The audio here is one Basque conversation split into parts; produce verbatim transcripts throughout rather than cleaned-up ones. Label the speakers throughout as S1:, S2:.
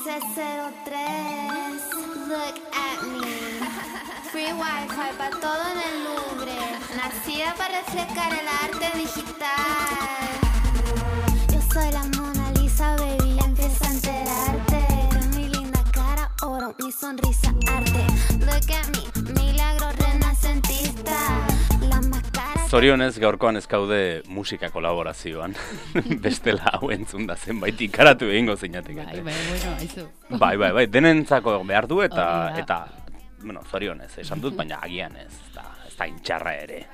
S1: C cero tres, look at me. Free Wi-Fi para todo en el Louvre. Nacida para reflejar el arte digital. Yo soy la Mona Lisa, baby, empieza a enterarte. Mi linda cara, oro, mi sonrisa, arte. Look at me, milagro renacentista. La máscara.
S2: Zorionez gaurkoan ez gaude musika kolaborazioan. Bestela hau entzun da zenbait ikaratu egingo zinatek.
S3: Bai, bai, bueno, aizu.
S2: Bai, bai, bai, denentzako behar du eta, eta bueno, zorionez, esan dut, baina agian ez, da, ez da intxarra ere.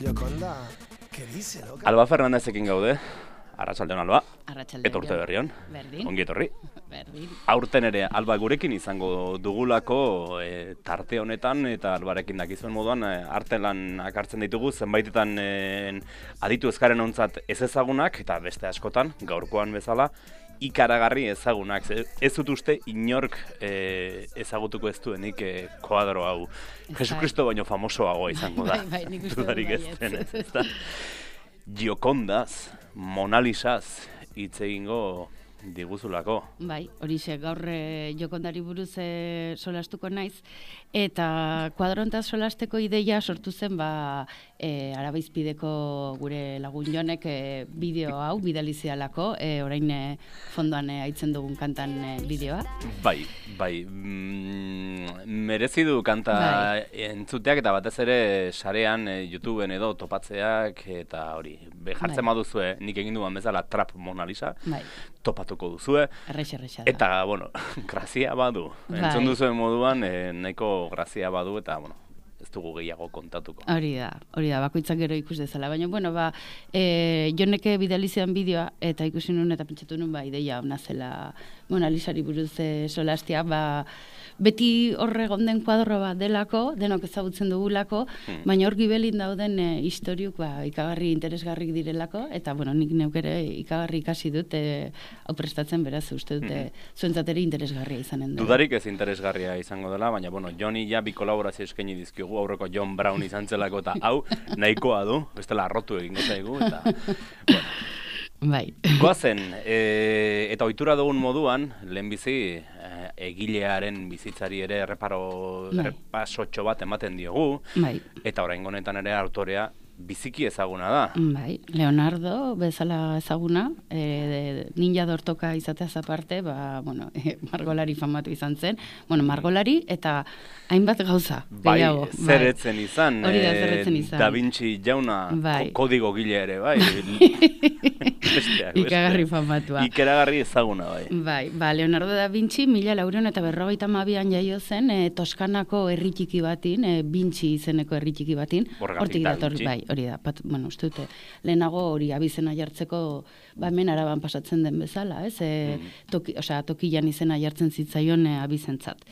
S4: Jokonda, ¿qué dice, loca?
S2: Alba Fernandezekin gaude, arratsaldeon Alba.
S3: Arratsaldeon.
S2: Eta urte berrion.
S3: Berdin.
S2: Ongi etorri.
S3: Berdin.
S2: Aurten ere Alba gurekin izango dugulako e, tarte honetan eta Albarekin dakizuen moduan e, artelan hartzen ditugu zenbaitetan e, aditu ezkaren ontzat ez ezagunak eta beste askotan gaurkoan bezala ikaragarri ezagunak. Ez dut uste inork e, ezagutuko ez duenik e, koadro hau. Jesucristo baino famosoagoa izango da.
S3: Bai, bai, nik uste
S2: Dudarik ez denez, ezta? Giokondaz, Mona Lisaz hitz egingo diguzulako.
S3: Bai, horixe gaur e, Jokondari buruz e, solastuko naiz eta kuadrontaz solasteko ideia sortu zen ba e, Arabaizpideko gure lagun Jonek e, bideo hau bidalizialako, e, orain e, fondoan e, aitzen dugun kantan e, bideoa.
S2: Bai, bai, mm, merezi du kanta
S3: Bai.
S2: entzuteak eta batez ere sarean e, YouTubeen edo topatzeak eta hori, be jartzen
S3: Bai.
S2: baduzue nik egin duan bezala Trap Mona Lisa,
S3: Bai,
S2: topatuko duzue.
S3: errex errexa da.
S2: Eta, bueno, grazia badu.
S3: Bai.
S2: Entzun duzuen moduan, e, nahiko grazia badu eta, bueno, ez dugu gehiago kontatuko.
S3: Hori da, hori da, bakoitzak gero ikus dezala. Baina, bueno, ba, e, Joneke bidalizian bideoa, eta ikusi nun eta pentsatu nun, ba, ideia hona zela Mona Lisari buruz e, solastia, ba, beti horre gonden kuadro bat delako, denok ezagutzen dugulako,
S2: Hmm.
S3: baina hor gibelin dauden e, historiuk, ba, ikagarri interesgarrik direlako, eta, bueno, nik neuk ere ikagarri ikasi dut, e, hau prestatzen beraz, uste dute, zuentzateri interesgarria izanen dela.
S2: Dudarik ez interesgarria izango dela, baina, bueno, Joni ja bi kolaborazio eskaini dizkigu, aurreko John Brown izan zelako eta hau nahikoa du, bestela arrotu egingo zaigu, eta, bueno,
S3: Bai.
S2: goazen, e, eta ohitura dugun moduan, lehenbizi e, egilearen bizitzari ere erreparo,
S3: Bai.
S2: errepasotxo bat ematen diogu,
S3: Bai.
S2: eta oraingo honetan ere autorea biziki ezaguna da.
S3: Bai, Leonardo bezala ezaguna, e, ninja dortoka izateaz aparte, ba, bueno, e, margolari famatu izan zen, bueno, margolari eta hainbat gauza,
S2: Bai,
S3: gehiago.
S2: zerretzen izan,
S3: Hori da,
S2: eh,
S3: zerretzen izan.
S2: Da Vinci jauna,
S3: Bai.
S2: ko- kodigo gile ere, bai. Besteak,
S3: Ikagarri
S2: beste.
S3: famatua.
S2: Ikeragarri ezaguna, bai.
S3: Bai, ba, Leonardo da Vinci mila laurehun eta berrogeita hamabian jaio zen, e, Toskanako herri txiki batin, e, Vinci izeneko herri txiki batin,
S2: Horregatik
S3: hortik
S2: Da
S3: dator,
S2: Vinci.
S3: bai, hori da, pat, bueno, uste dute, lehenago hori abizena jartzeko, ba, hemen Araban pasatzen den bezala, ez, e, toki, osea, tokian izena jartzen zitzaion e, abizentzat.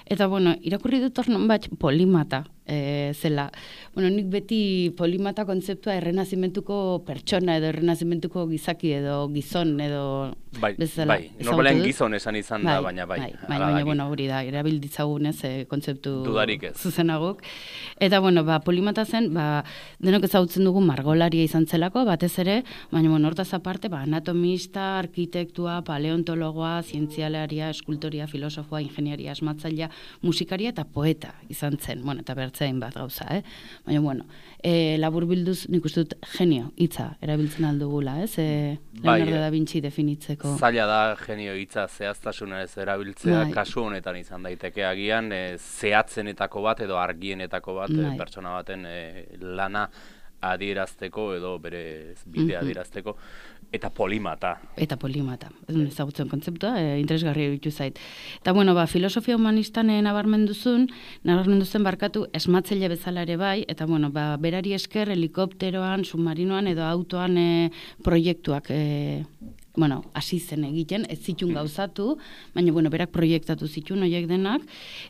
S3: Eta, bueno, irakurri dut hor nonbait polimata, e, zela. Bueno, nik beti polimata kontzeptua errenazimentuko pertsona edo errenazimentuko gizaki edo gizon edo
S2: Bai,
S3: bezala
S2: bai,
S3: ezagutu
S2: normalean
S3: dut.
S2: gizon esan izan da, baina bai.
S3: Bai,
S2: hala
S3: bai, baina,
S2: da,
S3: bueno, hori da, erabil ditzagunez e, kontzeptu
S2: Dudarik ez.
S3: zuzenaguk. Eta, bueno, ba, polimata zen, ba, denok ezagutzen dugu margolaria izan zelako, batez ere, baina, bueno, hortaz aparte, ba, anatomista, arkitektua, paleontologoa, zientzialaria, eskultoria, filosofoa, ingeniaria, asmatzailea, musikaria eta poeta izan zen, bueno, eta bertzein bat gauza, eh? Baina, bueno, e, labur bilduz, nik uste dut genio hitza erabiltzen aldugula, ez? E,
S2: Bai,
S3: Leonardo
S2: eh.
S3: da Vinci definitzeko.
S2: Zaila da genio hitza zehaztasunez erabiltzea,
S3: Bai.
S2: kasu honetan izan daiteke agian e, zehatzenetako bat edo argienetako bat e,
S3: Bai.
S2: pertsona baten e, lana adierazteko edo bere bidea
S3: Mhm.
S2: adierazteko, eta polimata.
S3: Eta polimata, ez dut ezagutzen kontzeptua, e, interesgarri egitu zait. Eta, bueno, ba, filosofia humanistan e, nabarmenduzun, nabarmenduzen barkatu esmatzaile bezala ere bai, eta, bueno, ba, berari esker helikopteroan, submarinoan edo autoan e, proiektuak e, bueno, hasi zen egiten, ez zitun gauzatu, baina, bueno, berak proiektatu zitun horiek denak,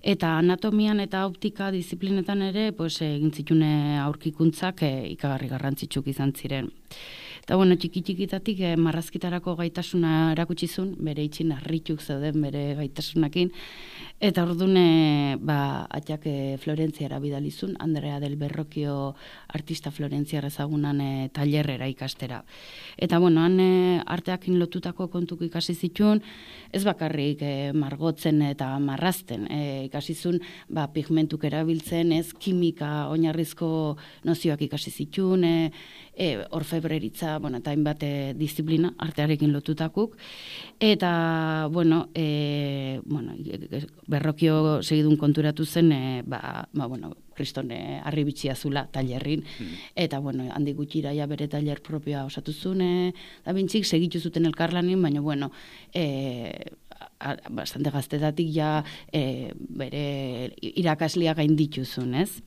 S3: eta anatomian eta optika disiplinetan ere, pues, egin zitune aurkikuntzak e, ikagarri garrantzitsuk izan ziren. Eta, bueno, txiki-txikitatik eh, marrazkitarako gaitasuna erakutsi zuen, bere itxin harrituk zeuden bere gaitasunakin, eta orduan e, ba, atxak e, Florentziara bidalizun, Andrea del Berrokio artista florentziar ezagunan e, tailerrera ikastera. Eta, bueno, han e, arteakin lotutako kontuk ikasi zituen, ez bakarrik e, margotzen eta marrazten, e, ikasi zuen ba, pigmentuk erabiltzen, ez kimika oinarrizko nozioak ikasi zituen, e, e, orfebreritza, bueno, eta hainbat e, disiplina artearekin lotutakuk, eta, bueno, e, bueno, Berrokio segidun konturatu zen, e, ba, ba, bueno, kriston e, arribitxia zula tailerrin, mm. eta, bueno, handi gutxira ja bere tailer propioa osatu zuen, e, da bintzik segitu zuten elkarlanin, baina, bueno, e, a, bastante gaztetatik ja e, bere irakaslia gainditu zuen, ez?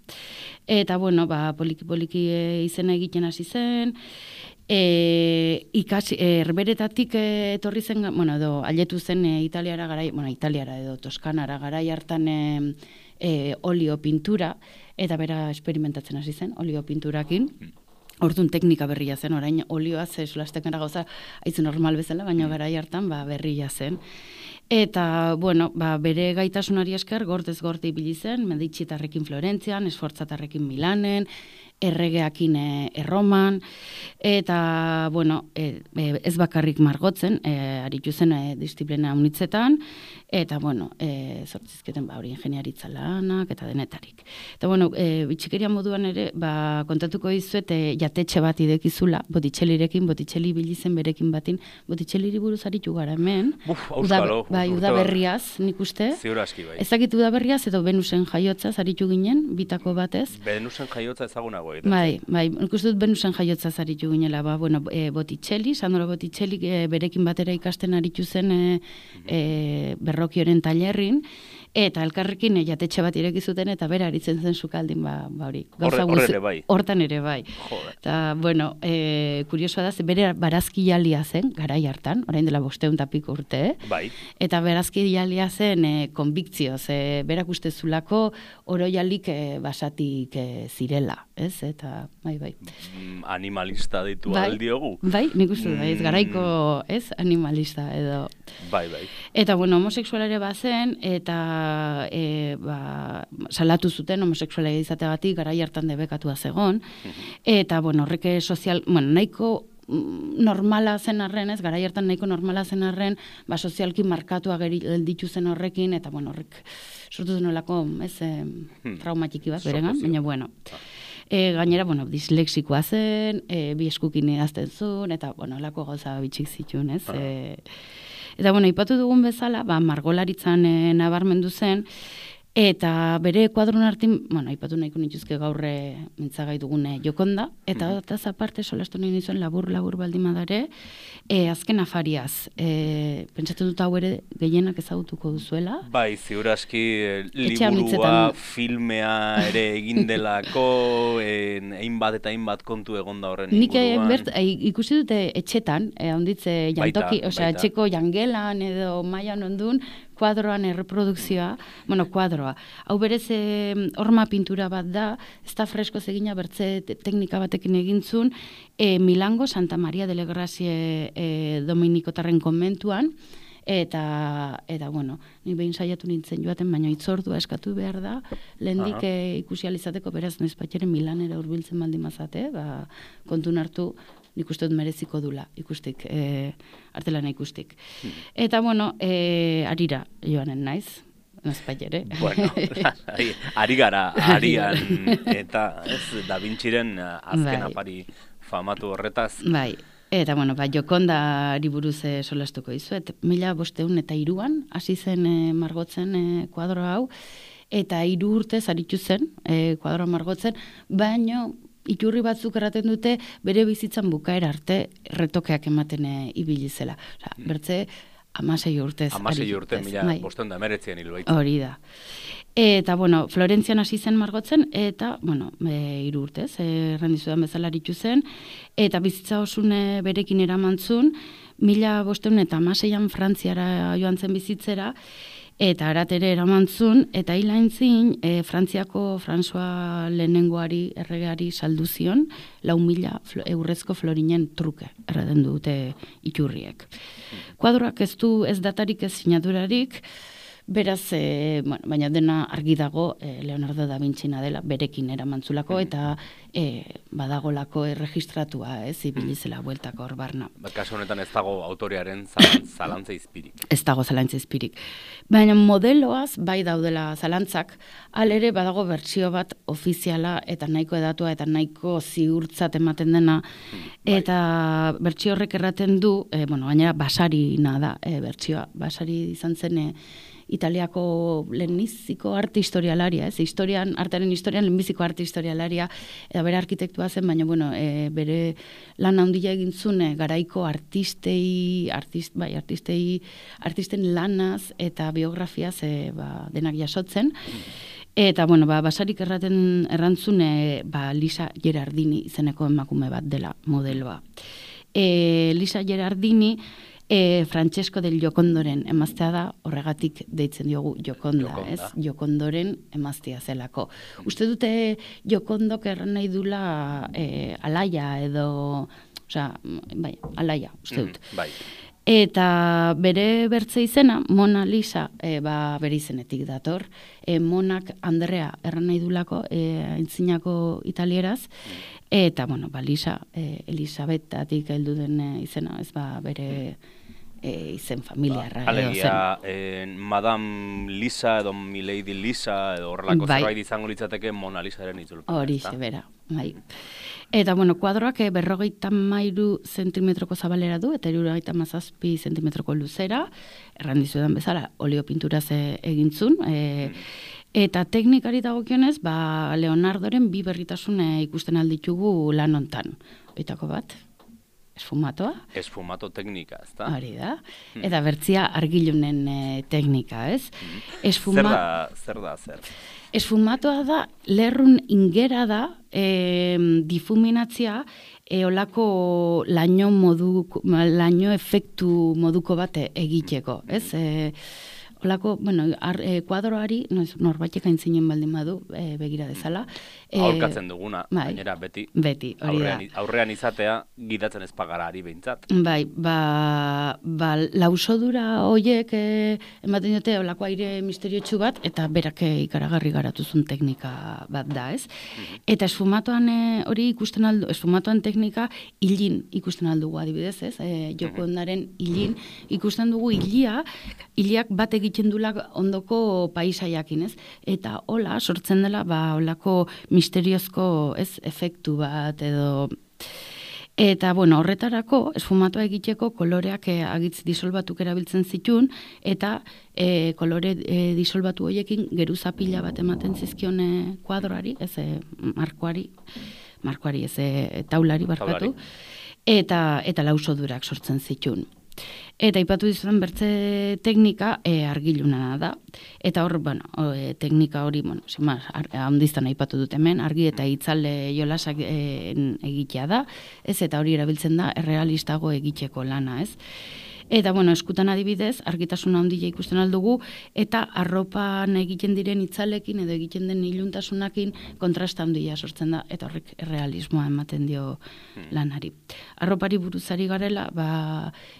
S3: Eta, bueno, ba, poliki-poliki e, izena egiten hasi zen, E, ikasi, erberetatik e, etorri zen, bueno, edo, aletu zen e, Italiara garai, bueno, Italiara edo Toskanara garai hartan e, e, olio pintura, eta bera esperimentatzen hasi zen, olio pinturakin. Orduan teknika berria zen, orain olioa ze solastekara gauza haitzu normal bezala, baina garai hartan ba, berria zen. Eta, bueno, ba, bere gaitasunari esker gortez gorte ibili zen, Meditxitarrekin Florentzian, Esfortzatarrekin Milanen, erregeakin e, erroman, eta, bueno, e, ez bakarrik margotzen, e, aritu zen e, disiplina unitzetan, eta, bueno, e, zortzizketen ba, hori ingeniaritza lanak, eta denetarik. Eta, bueno, e, bitxikeria moduan ere, ba, kontatuko dizuet, e, jatetxe bat idekizula, Botticellirekin, Botticelli bilizen berekin batin, Botticelliri buruz aritu gara hemen.
S2: Uf, auskalo.
S3: Bai, udaberriaz, nik uste.
S2: Ziur aski, bai.
S3: Ezakit udaberriaz, edo Venusen jaiotzaz aritu ginen, bitako batez.
S2: Venusen jaiotza ezagunago.
S3: Bai, bai, nik uste dut Venusen jaiotza zaritu ginela, ba, bueno, e, Botticelli, Sandro Botticelli e, berekin batera ikasten aritu zen e, e, Berrokioren tailerrin, eta elkarrekin e, jatetxe bat ireki zuten, eta bera aritzen zen sukaldin, ba, ba hori.
S2: Horre, horre ere bai.
S3: Hortan ere bai. Eta, bueno, e, kuriosoa da, bere barazkialia zen, garai hartan, orain dela bosteun tapik urte,
S2: bai.
S3: Eta barazkialia zen e, konbiktzioz, e, berak uste zulako oroialik e, basatik e, zirela, ez? Eta, bai, bai.
S2: Animalista ditu
S3: bai,
S2: aldiogu.
S3: Bai, nik uste da, ez garaiko, ez, animalista edo.
S2: Bai, bai.
S3: Eta, bueno, homoseksualare bazen, eta e, ba, salatu zuten homoseksuala izateagatik garai hartan debekatua zegon, eta, bueno, horrek sozial, bueno, nahiko normala zen arren, ez, garai hartan nahiko normala zen arren, ba, sozialki markatua gelditu zen horrekin, eta, bueno, horrek sortu denolako, ez, e, traumatiki bat, beregan, baina, bueno. E, gainera, bueno, dislexikoa zen, e, bi eskukin idazten zuen, eta, bueno, lako gauza bitxik zituen, ez. Ah. E, eta, bueno, ipatu dugun bezala, ba, margolaritzan e, nabarmendu zen, eta bere kuadron artin, bueno, ipatu nahiko nituzke gaurre mintzagai dugune Jokonda, eta mm -hmm. aparte solastu nahi nizuen labur-labur baldimadare, e, azken afariaz, e, pentsatu dut hau ere gehienak ezagutuko duzuela.
S2: Bai, ziur aski liburua, filmea ere egin delako, hainbat eta hainbat kontu egonda horren inguruan.
S3: Nik ikusi dute etxetan, e, onditze jantoki, osea, etxeko jangelan edo mailan ondun, kuadroan erreprodukzioa, bueno, kuadroa. Hau berez e, horma pintura bat da, ez da fresko zegina bertze teknika batekin egintzun, e, Milango Santa Maria delle Grazie e, Dominikotarren konbentuan, eta, eta bueno, ni behin saiatu nintzen joaten, baina itzordua eskatu behar da, lehendik e, ikusi alizateko, beraz, noiz patxeren Milanera hurbiltzen baldin mazate, ba, kontun hartu, nik uste dut mereziko dula ikustik, e, artelana ikustik. Hmm. Eta, bueno, e, arira joanen naiz, nazpait ere.
S2: Bueno, ari, ari gara, arian, eta ez, Da Vinciren azken bai. Apari famatu horretaz.
S3: Bai, eta, bueno, ba, Jokondari buruz e, solastuko dizuet. Mila bosteun eta iruan, hasi zen e, margotzen e, kuadro hau, eta hiru urtez aritu zen, e, kuadroa margotzen, baino, iturri batzuk erraten dute bere bizitzan bukaera arte retokeak ematen e, ibili zela. Osa, bertze, amasei urtez.
S2: Amasei urte, mila bai. Bosteun da emeretzean hilo baita.
S3: Hori da. Eta, bueno, Florentzian hasi zen margotzen, eta, bueno, e, hiru urtez, errandizudan bezala aritu zen, eta bizitza osune berekin eramantzun, mila bosteun eta amaseian Frantziara joan zen bizitzera, eta aratere eramantzun, eta hilaintzin, e, Frantziako François lehenengoari, erregeari saldu zion, lau mila eurrezko florinen truke, erraden dute iturriek. Kuadroak ez du ez datarik ez sinadurarik, beraz, e, bueno, baina dena argi dago e, Leonardo da Vinci-na dela, berekin eramantzulako, eta e, badagolako erregistratua, ez, ibilizela bueltako hor barna.
S2: Kasu honetan ez dago autorearen zalan, zalantza izpirik.
S3: Ez dago zalantza izpirik. Baina modeloaz bai daudela zalantzak, alere badago bertsio bat ofiziala eta nahiko edatua eta nahiko ziurtzat ematen dena, eta bertsio horrek erraten du, e, bueno, gainera basarina da e, bertsioa, basari izan zen e, Italiako lehenbiziko arte historialaria, ez? Historian, artearen historian lehenbiziko arte historialaria, eta bere arkitektua zen, baina, bueno, e, bere lan handia egin zune garaiko artistei, artist, bai, artistei, artisten lanaz eta biografiaz e, ba, denak jasotzen. Eta, bueno, ba, basarik erraten errantzune, ba, Lisa Gerardini izeneko emakume bat dela modeloa. E, Lisa Gerardini, E, Francesco del Giocondoren emaztea da, horregatik deitzen diogu Gioconda,
S2: Gioconda.
S3: ez? Giocondoren emaztea zelako. Uste dute Giocondok erran nahi dula e, alaia edo, osea, bai, alaia, uste dut.
S2: Mm, bai.
S3: Eta bere bertze izena, Mona Lisa, e, ba, bere izenetik dator, e, Monak Andrea erran nahi dulako, e, aintzinako italieraz, eta, bueno, ba, Lisa, e, Elisabetatik heldu den e, izena, ez ba, bere e, izen familiarra.
S2: Ba,
S3: edo
S2: alegia,
S3: zen.
S2: eh, Madame Lisa edo Milady Lisa edo horrelako
S3: Bai.
S2: zerbait izango litzateke Mona Lisaren itzulpena.
S3: Horixe, bera, bai. Eta, bueno, kuadroak eh, berrogeita mairu zentimetroko zabalera du, eta hirurogeita hamazazpi zentimetroko luzera, erran dizudan bezala, olio pinturaz e, egintzun, e, eta teknikari dagokionez, ba, Leonardoren bi berritasun e, ikusten alditugu lan hontan. Oitako bat, esfumatoa.
S2: Esfumato teknika, ez da?
S3: Hori da. Eta bertzia argilunen e, teknika, ez? Esfuma...
S2: Zer da, zer da, zer?
S3: Esfumatoa da, lerrun ingera da, e, difuminatzia, e, olako laino, modu, laino efektu moduko bat egiteko, ez? E, olako, bueno, ar, e, kuadroari, no, norbaitek aintzinen baldin badu, e, begira dezala. E,
S2: Aholkatzen duguna,
S3: bai,
S2: gainera beti,
S3: beti, hori
S2: aurrean,
S3: da.
S2: aurrean izatea gidatzen ez pagarari behintzat.
S3: Bai, ba, ba lausodura hoiek e, ematen dute olako aire misteriotsu bat, eta berak e, ikaragarri garatuzun teknika bat da, ez? Eta esfumatoan e, hori ikusten aldu, esfumatoan teknika hilin ikusten aldugu adibidez, ez? E, Giocondaren hilin ikusten dugu hilia, hiliak bat egiten dula ondoko paisaiakin, ez? Eta hola sortzen dela, ba, olako misteriozko, ez, efektu bat edo. Eta, bueno, horretarako, esfumatoa egiteko koloreak e, agitz disolbatuk erabiltzen zituen, eta e, kolore e, disolbatu horiekin geruza pila bat ematen zizkion e, kuadroari, ez, e, markoari, markoari, ez, e, taulari barkatu, eta, eta lausodurak sortzen zituen. Eta ipatu dizudan bertze teknika e, argiluna da. Eta hor, bueno, o, e, teknika hori, bueno, simaz, handiztan aipatu dut hemen, argi eta itzale jolasak e, egitea da, ez, eta hori erabiltzen da errealistago egiteko lana, ez. Eta, bueno, eskutan adibidez, argitasuna handia ikusten aldugu, eta arropan egiten diren itzalekin edo egiten den iluntasunakin kontrasta handia sortzen da, eta horrek realismoa ematen dio lanari. Arropari buruzari garela, ba,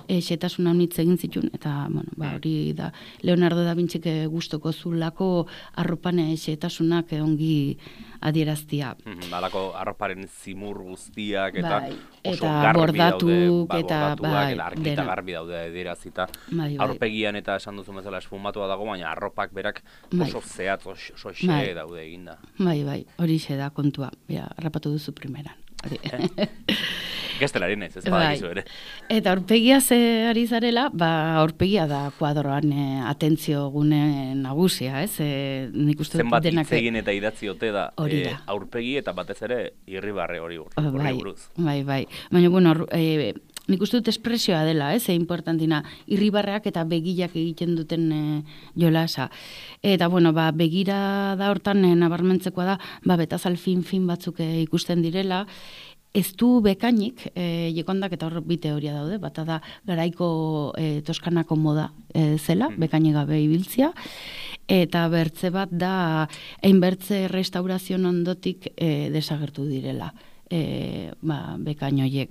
S3: e, xetasuna honitz egin zituen, eta, bueno, ba, hori da, Leonardo da Vinci gustoko zulako arropan xetasunak ongi adieraztia.
S2: Balako arroparen zimur guztiak eta
S3: bai,
S2: oso
S3: eta
S2: garbi
S3: bordatuk,
S2: daude, ba,
S3: eta
S2: bordatuak,
S3: bai,
S2: eta argi eta
S3: dena.
S2: garbi daude adierazita.
S3: Bai, bai.
S2: Aurpegian eta esan duzu bezala esfumatua dago, baina arropak berak
S3: Bai.
S2: oso zehatz, oso, oso xe
S3: Bai.
S2: daude eginda.
S3: Bai, bai, hori xe da kontua. Bera, harrapatu duzu primeran. Hori.
S2: Gestelari naiz, ez
S3: Bai.
S2: badakizu ere.
S3: Eta aurpegia ze ari zarela, ba aurpegia da kuadroan e, atentzio gune nagusia, ez? E, nik uste dut
S2: Zenbat
S3: denak
S2: hitz egin eta idatzi ote da,
S3: Hori
S2: eh,
S3: da.
S2: aurpegi eta batez ere irribarre hori hor- horri
S3: bai,
S2: buruz.
S3: bai, bai. Baina, bueno, hor, e, nik uste dut espresioa dela, ez? E, importantina, irribarreak eta begilak egiten duten e, jolasa. Eta, bueno, ba, begira da hortan e, nabarmentzekoa da, ba, betazal fin-fin batzuk e, ikusten direla, ez du bekainik, e, jekondak eta hor bi teoria daude, bata da garaiko e, Toskanako moda e, zela, bekainik gabe ibiltzia, eta bertze bat da hainbertze restaurazion ondotik e, desagertu direla. E, ba, bekain horiek.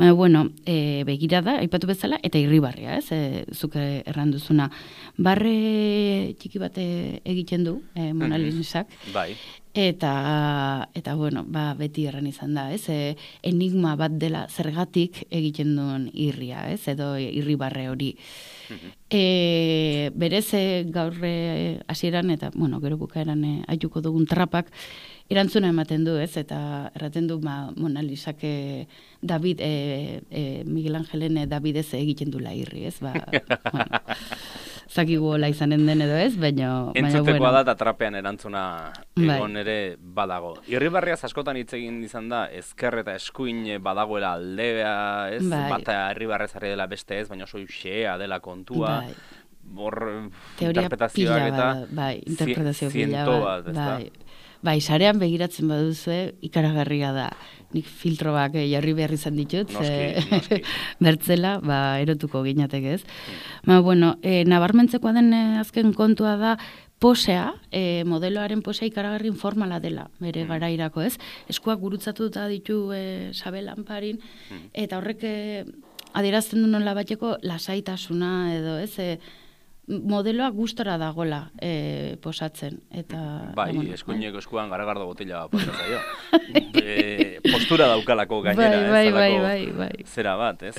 S3: Ba, bueno, e, begira da, aipatu bezala, eta irribarria, ez, e, zuke erranduzuna. Barre txiki bat egiten du, e, Mona Lisak,
S2: bai.
S3: Eta, eta bueno, ba, beti erran izan da, ez, e, enigma bat dela zergatik egiten duen irria, ez, edo irribarre hori. E, berez, e, gaur e, hasieran eta, bueno, gero bukaeran e, aituko dugun trapak, erantzuna ematen du, ez, eta erraten du ma, Mona Lisak e, David, e, e, Miguel Angelen e, Davidez egiten dula irri, ez, ba, bueno, zakigu hola izanen den edo ez, baina...
S2: Entzutekoa
S3: bueno.
S2: da eta trapean erantzuna egon ere badago. Irribarriaz askotan hitz egin izan da, ezker eta eskuin badagoela aldea, ez,
S3: bai.
S2: Bata irribarrez ari dela beste ez, baina oso xea dela kontua.
S3: Bai.
S2: Hor,
S3: teoria
S2: interpretazioak eta
S3: bada, bai, interpretazio pila
S2: ziento
S3: bat,
S2: bat, ez da?
S3: bai. Bai, sarean begiratzen baduzue, ikaragarria da. Nik filtroak eh, jarri behar izan ditut,
S2: Noski,
S3: eh,
S2: noski.
S3: bertzela, ba, erotuko ginatek ez. Ba, bueno, eh, nabarmentzekoa den eh, azken kontua da, posea, eh, modeloaren posea ikaragarri informala dela, bere garairako ez. Eskuak gurutzatuta ditu eh, Sabel Anparin, eta horrek eh, adierazten du nola bateko lasaitasuna edo ez, eh, modeloa gustora dagola e, posatzen. Eta,
S2: bai,
S3: bueno,
S2: eskuineko eskuan garagardo botila posa zaio. e, postura daukalako gainera,
S3: bai, bai,
S2: ez?
S3: bai,
S2: Halako
S3: bai, bai.
S2: zera bat, ez?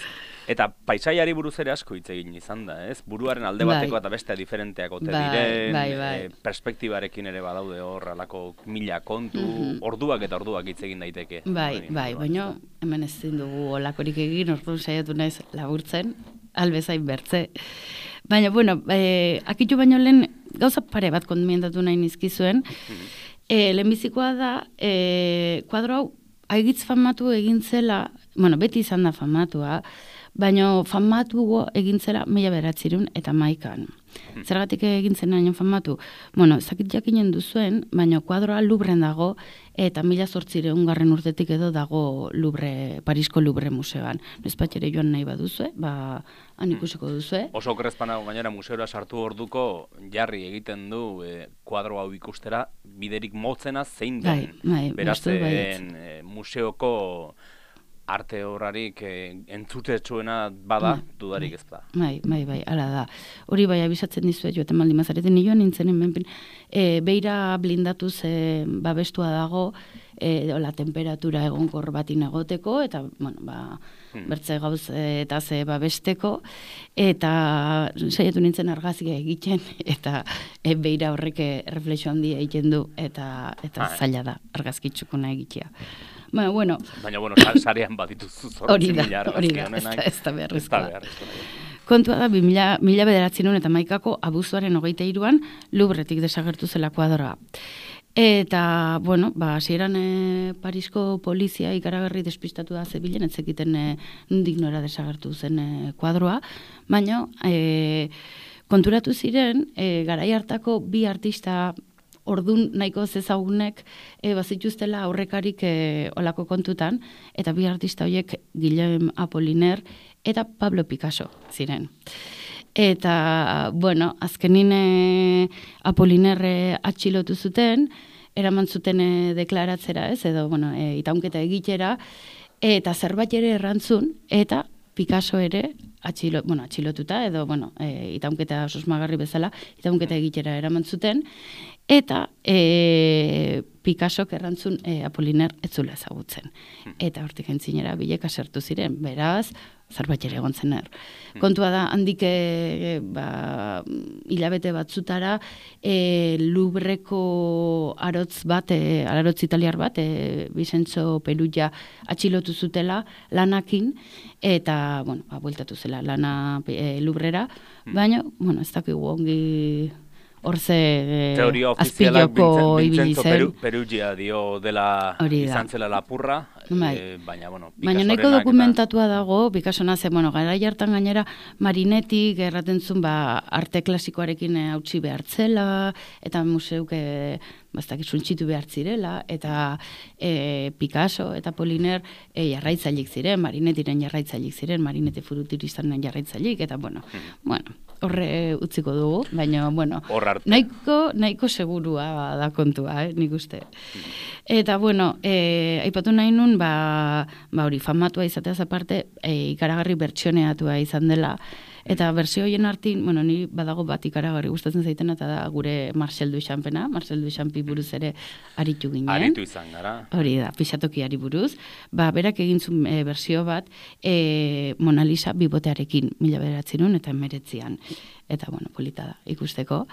S2: Eta paisaiari buruz ere asko hitz egin izan da, ez? Buruaren alde bateko
S3: Bai.
S2: eta bestea diferenteak ote
S3: Bai,
S2: diren,
S3: bai, bai.
S2: e, perspektibarekin ere badaude hor, alako mila kontu, orduak eta orduak hitz egin daiteke.
S3: Bai,
S2: Horren
S3: bai,
S2: inguruan,
S3: baina
S2: ezta?
S3: hemen ezin dugu olakorik egin, orduan saiatu naiz laburtzen, albezain bertze. Baina, bueno, eh, akitu baino lehen gauza pare bat kondimentatu nahi nizkizuen. Eh, lehenbizikoa da, eh, kuadro hau aigitz famatu egin zela, bueno, beti izan da famatua, baina famatu egin zela mila bederatziehun eta hamaikaan. Zergatik egin zen hain famatu? Bueno, zakit jakinen duzuen, baina kuadroa Louvren dago, eta mila zortziehun garren urtetik edo dago Louvre, Parisko Louvre museoan. Nespatxere joan nahi baduzue, ba, han ikusiko duzue.
S2: Oso okrezpana gainera museora sartu orduko jarri egiten du e, kuadro hau ikustera biderik motzena zein den.
S3: Bai, bai,
S2: Beraz,
S3: uste dut baietz.
S2: en, e, museoko arte horrarik e, entzutetsuena bada,
S3: Bai,
S2: dudarik ez da.
S3: Bai, bai, bai, ala da. Hori bai abisatzen dizuet joaten baldin bazareten nioan nintzen hemen e, beira blindatuz e, babestua dago e, la temperatura egonkor batin egoteko eta bueno, ba, bertze gauz e, eta ze babesteko eta saiatu nintzen argazkia egiten eta e, beira horrek e, erreflexio handia egiten du eta eta
S2: Ah,
S3: zaila da argazkitsukuna egitea. Baina, bueno,
S2: Baina, bueno, sa- sarean badituzu
S3: hori
S2: zortzi
S3: da,
S2: mila
S3: hori da,
S2: argazki
S3: ez da,
S2: honenak.
S3: ez da beharrezkoa.
S2: Ez da beharrezkoa.
S3: Kontua da, mila, mila bederatzen eta maikako abuzuaren hogeita iruan Louvretik desagertu zela kuadroa. Eta, bueno, ba, hasieran e, Parisko polizia ikaragarri despistatu da zebilen, ez zekiten e, nondik nora desagertu zen e, kuadroa, baina e, konturatu ziren, e, garai hartako bi artista ordun nahiko zezagunek e, bazituztela aurrekarik e, olako kontutan, eta bi artista horiek Guillaume Apollinaire eta Pablo Picasso ziren. Eta, bueno, azkenin e, Apollinaire atxilotu zuten, eraman zuten e, deklaratzera, ez, edo, bueno, e, itaunketa egitera, eta zerbait ere errantzun, eta Picasso ere atxilo, bueno, atxilotuta, edo, bueno, e, itaunketa susmagarri bezala, itaunketa egitera eraman zuten, eta e, Picassok errantzun e, Apollinaire ez zula ezagutzen. Eta hortik entzinera bileka sartu ziren, beraz, zerbait ere egon zen er. Kontua da, handik e, ba, hilabete batzutara e, Louvreko arotz bat, e, arotz italiar bat, e, Vincenzo Perugia atxilotu zutela lanakin, eta, bueno, ba, bueltatu zela lana e, Louvrera, baina, bueno, ez dakigu ongi hor ze
S2: teoria ofizialak
S3: azpiloko ibili
S2: Vincenzo
S3: zen.
S2: Peru, Perugia dio dela
S3: Hori da.
S2: izan zela lapurra,
S3: Bai.
S2: eh, baina, bueno,
S3: Baina nahiko
S2: Picassorenak
S3: dokumentatua dago, Picassona ze, bueno, garai hartan gainera Marinetik erraten zuen ba, arte klasikoarekin eh, hautsi behartzela, eta museuk eh, bastak suntxitu behar zirela, eta eh, Picasso eta Poliner eh, jarraitzailik ziren, Marinetiren jarraitzailik ziren, Marinete Furutiristan jarraitzailik, eta bueno, bueno, horre utziko dugu, baina, bueno,
S2: Hor arte.
S3: nahiko, nahiko segurua da kontua, eh, nik uste. Eta, bueno, eh, aipatu nahi nun, ba, ba hori, famatua izateaz aparte, eh, ikaragarri bertsioneatua izan dela, eta bertsio horien artin, bueno, ni badago bat ikaragarri gustatzen zaitena, eta da gure Marcel Duchampena, Marcel Duchampi buruz ere aritu ginen.
S2: Aritu izan gara.
S3: Hori da, pixatokiari buruz. Ba, berak egin zuen e, bersio bat, e, Mona Lisa bibotearekin, mila bederatzerun eta emeretzian. Eta, bueno, polita da, ikusteko.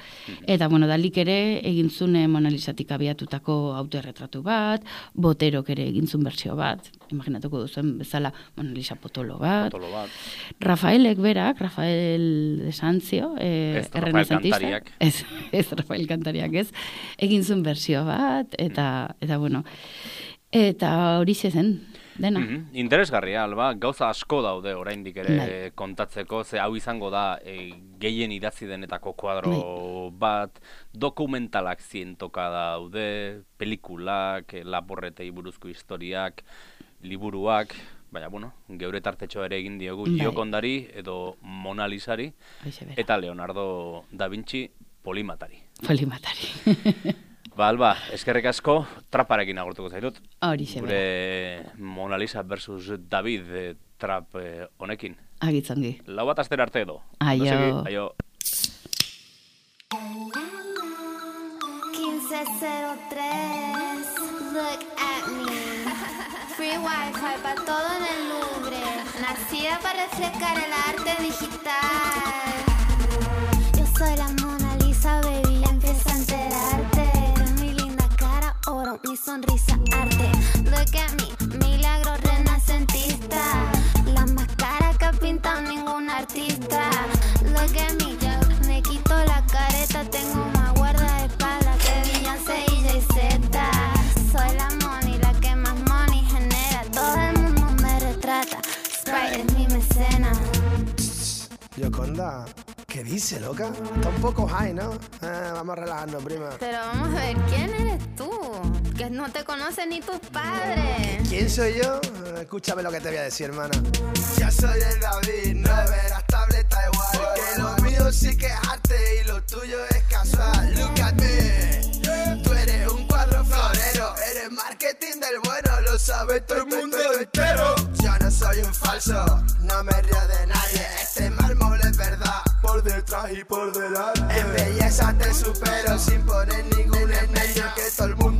S3: Eta, bueno, Dalik ere egin zuen e, Mona Lisatik abiatutako autoerretratu bat, Boterok ere egin zuen bersio bat, imaginatuko duzuen bezala Mona Lisa potolo bat.
S2: Potolo bat.
S3: Rafaelek berak, Rafael de Sanzio, eh,
S2: Ez, Rafael
S3: errenazentista.
S2: Kantariak.
S3: Ez, ez Rafael Kantariak ez. Egin zuen bersio bat, eta, eta bueno, eta hori zen, dena.
S2: Mhm. Interesgarria, alba, gauza asko daude oraindik ere
S3: Bai.
S2: kontatzeko, ze hau izango da e, gehien idatzi denetako kuadro bat, dokumentalak zientoka daude, pelikulak, e, laborretei buruzko historiak, liburuak, baina, bueno, geure tartetxo ere egin diogu
S3: Bai.
S2: Giokondari edo Mona Lisari,
S3: Horixe bera.
S2: eta Leonardo da Vinci Polimatari.
S3: Polimatari.
S2: Ba, Alba, eskerrik asko, traparekin agurtuko zaitut.
S3: Horixe bera.
S2: Gure Mona Lisa versus David eh, trap eh, honekin.
S3: Agitzongi.
S2: Lau bat astera arte edo.
S3: Aio.
S2: Ondo segi, aio.
S1: quince cero tres, look at me. Free Wi-Fi para todo en el Louvre. Nacida para reflejar el arte digital. Yo soy la Mona Lisa, baby, empieza a enterarte. Mi linda cara, oro, mi sonrisa, arte. Look at me, milagro renacentista. La más cara que ha pintado ningún artista. Look at me, yo me quito la careta, tengo más guardaespaldas que Beyoncé y Jay-Z. Soy la money, la que más money genera. Todo el mundo me retrata. Sprite es mi mecena.
S4: Yoconda, ¿qué dice, loca? Está un poco high, ¿no? Eh, vamos a relajarnos, prima.
S1: Pero vamos a ver, ¿quién eres tú? Que no te conocen ni tus padres.
S4: ¿Quién soy yo? Eh, Escúchame lo que te voy a decir, hermana. Ya soy el David, no verás tableta igual. Que lo mío sí que es arte y lo tuyo es casual. Look at me. Tú eres un cuadro florero. Eres marketing del bueno, lo sabe todo el mundo entero. Yo no soy un falso, no me río de nadie. Este mármol es verdad, por detrás y por delante. En belleza te supero sin poner ningún empeño, que todo el mundo